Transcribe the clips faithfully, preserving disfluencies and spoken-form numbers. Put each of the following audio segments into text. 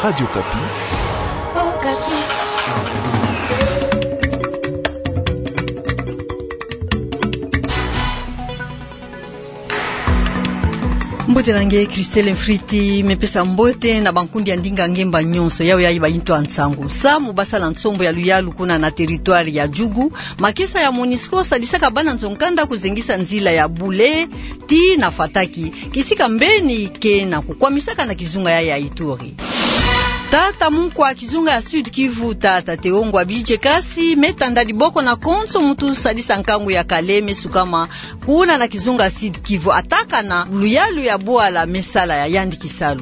Radio Okapi. Mbote na nge, Christelle Mfriti, me pesa mbote na bankundi ya ndinga ngemba nyonso, yawe yayi bayintu ya nsangu. Samu basala nsombo ya luyalu kuna na territoire ya Djugu, makesa ya MONUSCO sadisaka bana nzo-nkanda kuzengisa nzila ya Boulé tii na Fataki, kisika mbeni ke na kukwamisaka na kizunga ya, ya Ituri. Tata mukwa kizunga ya Sud-Kivu, tata Théo Ngwabidje Kasi, me tanda diboko na konso muntu sadisa nkangu ya kala me sukama kuna na kizunga Sud-Kivu, atakana luyalu ya bwala me sala ya yandi kisalu.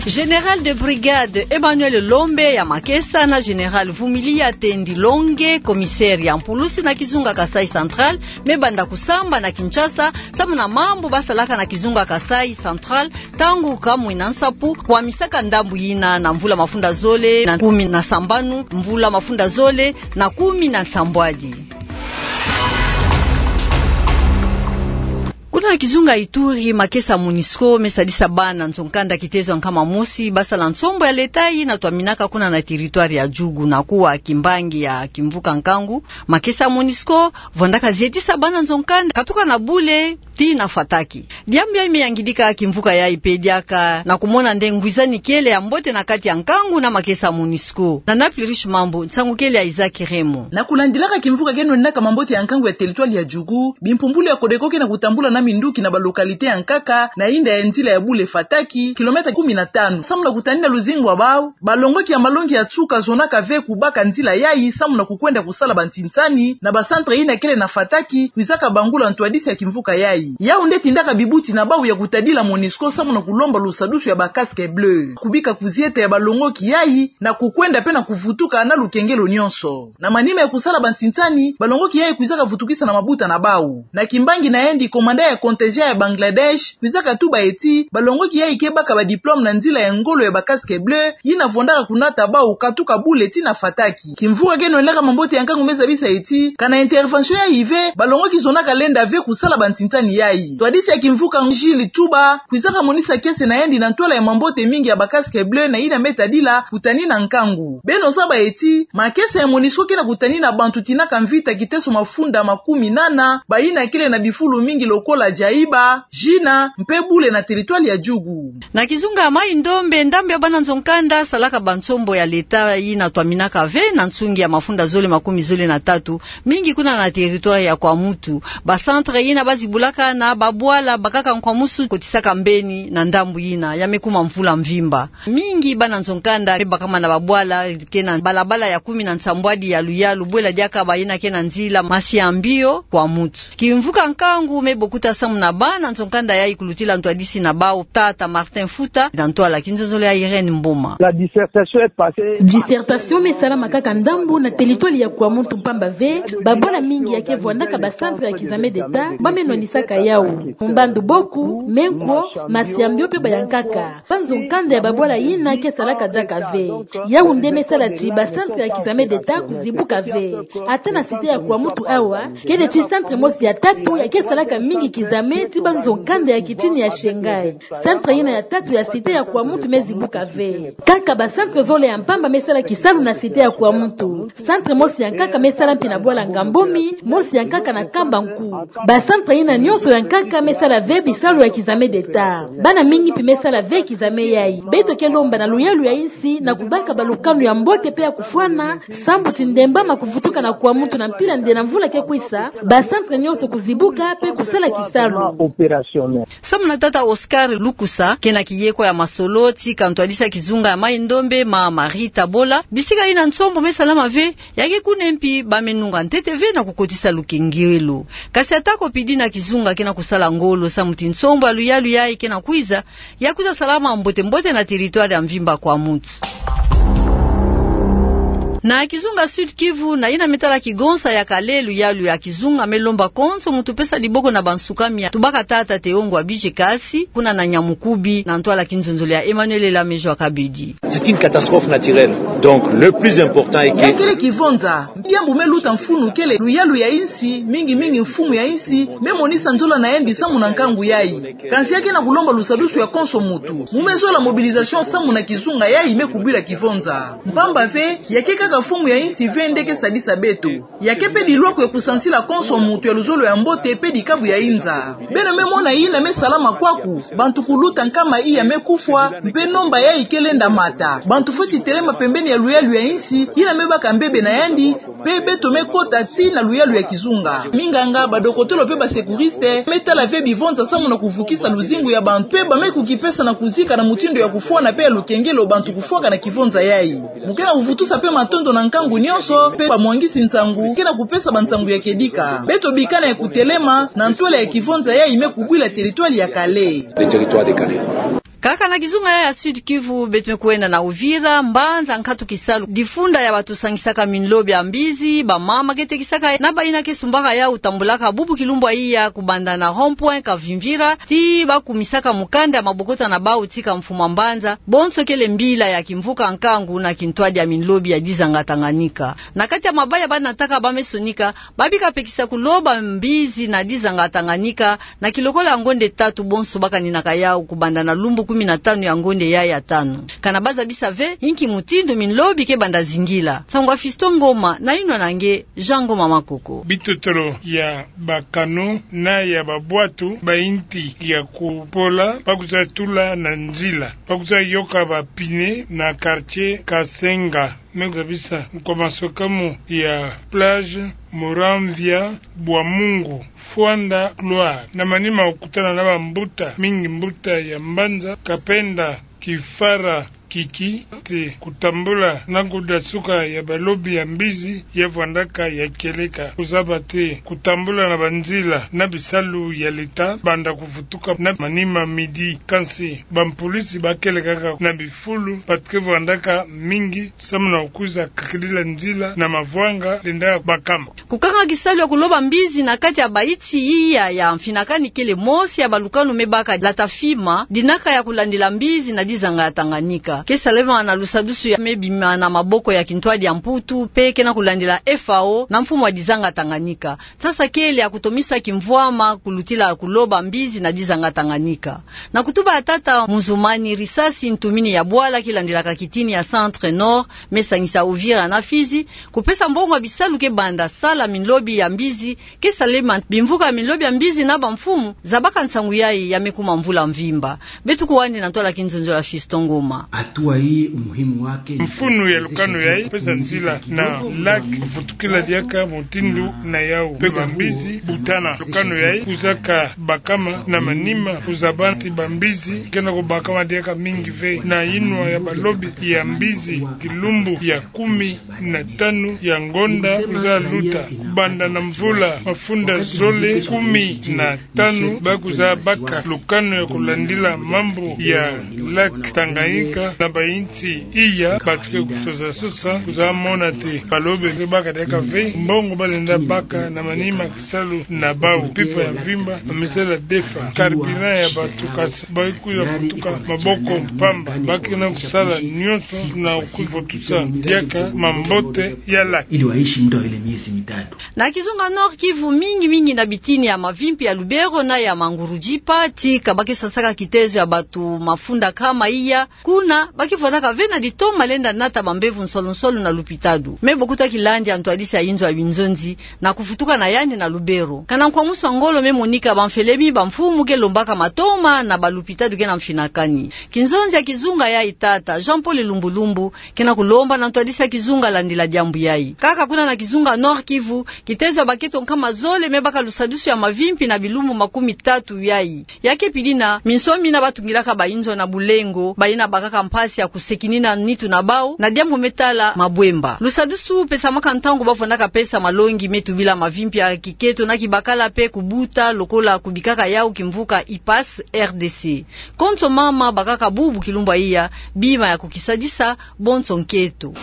Général de brigade Emmanuel Lombe ya makesa na Général Vumilia Tendi Longe, commissaire ya mpulusi na kizunga Kasaï Central, me banda kusamba na Kinshasa, samu na mambu basalaka na kizunga Kasaï Central, ntangu kamwina nsapu, kwamisaka ndambu yina na mvula mafunda zole na kumi na sambanu, mvula mafunda zole na kumi na nsambwadi. Kuna na kizunga Ituri, makesa MONUSCO me sadisa bana nzo-nkanda kitezo ya nkama mosi basala nsombo ya leta yina twaminaka kuna na territoire ya Djugu na kuwa kimbangi ya kimvuka nkangu. Makesa MONUSCO vwandaka zietisa bana nzo-nkanda katuka na Boulé tii na Fataki. Diambu yayi me yangidika kimvuka yayi mpe diaka na kumona nde ngwizani kele ya mbote na kati ya nkangu na makesa MONUSCO. Na Naples Riche Mambu, nsangu kele ya Isaac Remo. Na kulandilaka kimvuka keno enaka mambote ya nkangu ya territoire ya Djugu, bimpumbulu ya CODECO ke na kutambula na minduki na ba localité ya nkaka na inda ya nzila ya Boulé Fataki, kilomètre kumi na tanu. Samu na kutanina luzingu ya bau, balongoki ya malongi ya nsuka zonaka ve kubaka nzila yayi samu na kukwenda kusala bantinsani na ba centre yina kele na Fataki, kwizaka bangula ntwadisi ya kimvuka yayi. Yawu nde etindaka bibuti na bau ya kutadila MONUSCO samu na kulomba lusadusu ya ba casques bleus, kubika kuzieta ya balongoki yayi na kukwenda mpe na kuvutuka na lukengelo nyonso. Na manima ya kusala bantinsani, balongoki yayi kwizaka vutukisa na mabuta na bau. Na kimbangi na yandi, commandant ya contingent ya Bangladesh kwizaka tuba ti balongoki yayi ke baka ba diplôme na nzila ya ngolo ya ba casques bleus, yina vwandaka kunata bau katuka Boulé tii na Fataki. Kimvuka keno enaka mambote ya nkangu me zabisa ti, kana intervention yayi ve, balongoki zonaka lenda ve kusala bantinsani yayi. Ntwadisi ya kimvuka Gilles Tchouba kwizaka monisa kiese na yandi na ntwala ya mambote mingi ya ba casques bleus na yina me tadila kutanina nkangu. Beno zaba ti, makesa ya MONUSCO ke na kutanina bantu tinaka mvita kiteso mafunda makumi nana, bayina kele na bifulu mingi lokola Djaïba, Djina, mpe Boulé na territoire ya Djugu. Na kizunga ya Maï-Ndombe, ndambu ya bana nzo-nkanda salaka bansombo ya leta yina twaminaka ve na nsungi ya mafunda zole makumi zole na tatu, mingi kuna na territoire ya Kwamouth. Ba centre yina bazibulaka na babwala bakaka nkwamusu kotisaka mbeni na ndambu yina, ya me kuma mvula mvimba. Mingi bana nzo-nkanda me bakama na babwala ke na balabala ya kumi na nsambwadi ya luyalu, bwela diaka bayina ke na nzila Massiambio Kwamouth. Kimvuka nkangu me bokuta samu na bana nzo-nkanda yayi kulutila ntwadisi na bau, tata Martin Fouta, na ntwala ya kinzonzolo ya Irène Mboma. La dissertation est passée. Dissertation me salama kaka ndambu na territoire ya Kwamouth mpamba ve, babwala mingi ya ke vwandaka ba centre ya k'examen d'État ba me nwanisaka yawu. Mbandu Boku, Menkwo, Massiambio mpe ba ya nkaka. Banzo-nkanda ya babwala yina ke salaka diaka ve. Yawu nde me sala ti ba centre ya k'examen d'État kuzibuka ve. Ata na cité ya Kwamouth awa, kele ti centre mosi ya tatu ya ke salaka mingi k'examen ti banzo-nkanda ya kitini ya Shanghai. Centre yina ya tatu ya cité ya Kwamouth me zibuka ve. Kaka ba centre zole ya mpamba me sala kisalu na cité ya Kwamouth. Centre mosi ya nkaka me sala mpi na bwala Ngambumi, mosi ya nkaka na Kambankou. Ba centre yina nyonso ya nkaka me sala ve bisalu ya k'examen d'État. Bana mingi mpi me sala ve k'examen yayi. Beto ke lomba na luyalu ya insi na kubaka balukanu ya mbote mpe ya kufwana, sambu ti ndembama kuvutuka na Kwamouth na mpila nde na mvula ke kwisa, ba centre nyonso kuzibuka mpe kusala kisalu. Samu na tata Oscar Lukusa, ke na kiyekwa ya masolo tii ka ntwadisi ya kizunga ya Maï-Ndombe, ma Marie Tabola, bisika yina nsombo me salama ve, ya ke kuna mpi ba me nunga ntete ve na kukotisa lukengelo. Kasi ata ko pidi na kizunga ke na kusala ngolo samu ti nsombo ya luyalu yayi ke na kwiza, ya kwiza salama mbote-mbote na territoire ya mvimba Kwamouth. Na kizunga Sud-Kivu, na yina me tala kigonsa ya kale, luyalu ya kizunga me lomba konso muntu pesa diboko na bansukami ya tubaka tata Teongwa Bijekasi, kuna na Nyamukubi, na ntwala kinzonzolo ya Emmanuel Elamejo Akabidi. C'est une catastrophe naturelle. Donc, le plus important est que... Ya kele kivonza, diambu me luta mfunu kele luyalu ya insi, mingi mingi mfumu ya insi, me monisa nzola na yandi samu na nkangu yayi. Kansi ya ke na kulomba lusadusu ya konso muntu. Mu me zola mobilisation samu na kizunga yayi me kubila kivonza. Mpamba ve, ya ke kaka mfumu ya insi ve nde ke sadisa beto. Ya ke pe dilwaku ya kusansila konso muntu ya luzolo ya mbote pe dikabu ya inza. Beno me mona yina me salama kwaku, bantu kuluta nkama iya me kufwa, mpe nomba yayi ke lenda mata. Bantu fweti telema pembeni ya luyalu ya insi, yina me baka mbebe na yandi, mpe beto me kota tii na luyalu ya kizunga. Minganga, badokotolo mpe basecouriste, me tala ve bivonza samu na kuvukisa luzingu ya bantu, mpe ba me kukipesa na kuzika na mutindu ya kufwana mpe ya lukengelo bantu kufwaka na kivonza yayi. Mu ke na kuvutusa mpe matondo na nkangu nyonso, mpe bamwangisi nsangu, ke na kupesa bansangu ya kedika. Beto bikana ya kutelema, na ntwala ya kivonza yayi me kubwila territoire ya Kale. Le territoire de Kale. Kaka na kizunga ya, ya Sud-Kivu, beto me kwenda na Uvira, mbanza nkatu kisalu, difunda ya bantu sangisaka minlobi ya mbizi, bamama ke tekisaka, na bayina ke sumbaka yau tambulaka bubu kilumbu ya iya kubanda na rond-point Kavimvira, tii ba kumisaka mukanda ya mabokota na bau tii ka mfumu a mbanza, bonso kele mbila ya kimvuka nkangu na kintwadi ya minlobi ya dizanga Tanganyika. Na kati ya mabaya ba nataka ba me sonika, ba bika mpe kisa kuloba mbizi na dizanga Tanganyika, na kilokola ya ngonde tatu bonso ba kaninaka yau kubanda na lumbu kumi na tanu ya ngonde ya, ya tanu. Kana ba zabisa ve, inki mutindu minlobi ke banda zingila. Nsangu a Fiston Ngoma, na yinwa na nge, Jean Ngoma Makoko. Bitotolo ya bakano na ya babwatu ba inti ya kupola, ba kwiza tula na nzila, ba kwiza yoka ba pine na quartier Kasenga. Me zabisa nkwa masokamu ya plage Muramvya Bwamungu, Fwanda Gloire, na manima kukutana na bambuta mingi, mbuta ya mbanza Kapenda Kifara Kiki, te kutambula na kudasuka ya balobi ya mbizi ya vwandaka ya kieleka. Kuzaba te kutambula na banzila na bisalu ya leta banda kuvutuka na manima midi. Kansi bampolisi ba kele kaka na bifulu, bantu ke vwandaka mingi, samu na kwiza kakidila nzila na mavwanga lenda bakama. Kukanga kisalu ya kuloba mbizi na kati ya bainti iya ya mfinakani kele mosi ya balukanu me baka lata fima, dinaka ya kulandila mbizi na dizanga ya Tanganyika. Ke salema na lusadusu ya me bima na maboko ya kintwadi ya Mputu, mpe ke na kulandila F A O na mfumu wa dizanga Tanganyika. Sasa kele ya kutomisa kimvwama kulutila kuloba mbizi na dizanga Tanganyika. Na kutuba ya tata Muzumani, risasi ntumini ya bwala kilandilaka kitini ya Centre Nord, me sangisa Uvira na Fizi, kupesa mbongo ya bisalu ke banda sala minlobi ya mbizi, ke salema bimvuka ya minlobi ya mbizi na bamfumu zabaka nsangu yayi ya me kuma mvula mvimba. Beto kwandi na ntwala kinzonzolo ya Fiston Ngoma. Hatua hii umuhimu wake ni... Mfunu ya lukanu yayi, pesa nzila na lac kuvutukila diaka mutindu na yau. Mpe bambizi butana. Lukanu yayi kwizaka bakama na manima, kuzaba ti bambizi ke na kubakama diaka mingi ve. Na yinwa ya balobi ya mbizi, kilumbu ya kumi na tanu ya ngonda kwiza luta, kubanda na mvula mafunda zole kumi na tanu, ba kwiza baka lukanu ya kulandila mambu ya lac Tanganyika na bainti iya. Bantu ke kusosa sosa kwiza mona te balobi ke baka diaka ve mbongo ba lenda baka na manima kisalu na bau. Pipa ya mvimba, mamisela defa, carburant ya bantu kasi ba kwiza vutuka maboko mpamba. Ba ke na kusala nyonso na kuvutusa diaka mambote ya lac. Ili waishi muda wa ile miezi mitatu. Na kizunga Nord-Kivu, mingi mingi na bitini ya mavimpi ya Lubero na ya Mangurujipa, tika ba ke sasaka kitezo ya bantu mafunda kama iya, kuna ba ke vwandaka ve na ditoma lenda nata bambevo nsolo nsolo na lupitalu. Me Bokuta Kilandi, ntwadisi ya inzo ya binzonzi, na kuvutuka na yandi na Lubero. Kana nkwa musu wa ngolo me monika bamfelemi, bamfumu ke lombaka matoma na balupitalu ke na mfinakani. Kinzonzi ya kizunga yayi, tata Jean-Paul Lumbu Lumbu, ke na kulomba na ntwadisi ya kizunga landila diambu yayi. Kaka kuna na kizunga Nord-Kivu, kitezo ya baketo nkama zole me baka lusadusu ya mavimpi na bilumbu makumi tatu yayi. Ya ke pidina, minsomi na batungilaka bainzo na bulengo, bayina bakaka mpasi ya kusekinina nitu na bau na diambu me tala mabwemba. Lusadusu pesamaka ntangu ba vwandaka pesa malongi me tubila mavimpi ya kiketo na kibakala mpe kubuta lokola kubikaka yau kimvuka IPAS R D C. Konso mama bakaka bubu kilumbu ya iya bima ya kukisadisa bonso nketo.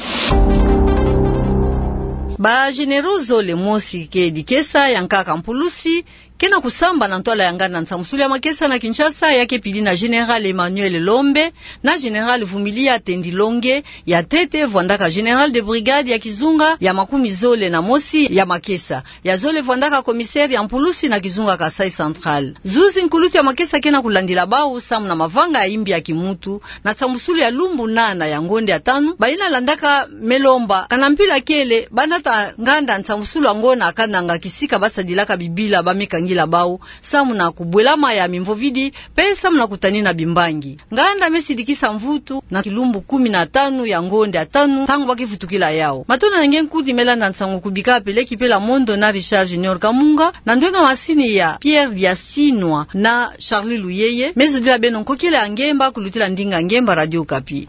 Ba généraux zole, mosi ke dikesa, ya nkaka mpulusi, ke na kusamba na ntwala ya nganda nsambusulu ya makesa na Kinshasa, ya ke pili na Général Emmanuel Lombe na Général Vumilia Tendi Longe. Ya ntete vwandaka général de brigade ya kizunga ya makumi zole na mosi ya makesa. Ya zole vwandaka commissaire ya mpulusi na kizunga Kasaï Central. Zuzi nkulutu ya makesa ke na kulandila bau samu na mavanga ya imbi ya kimuntu na nsambusulu ya lumbu nana ya ngonde ya tanu. Bayina landaka Melomba, ka na mpila kele, banata nganda nsambusulu yango na kananga kisika basadilaka bibila ba me kangila bau samu na kubwelama ya mimvovidi, mpe samu na kutanina bimbangi. Nganda me sidikisa mvutu na kilumbu kumi na tanu ya ngonde ya tanu, ntangu ba ke vutukila yau. Matondo na nge nkundi me landa nsangu, kubika peleki pela mondo na Richard Junior Kamunga, na ndwenga masini ya Pierre Diasinwa na Charlie Luyeye. Me zodila beno nkokila ya ngemba kulutila ndinga ngemba Radio Okapi.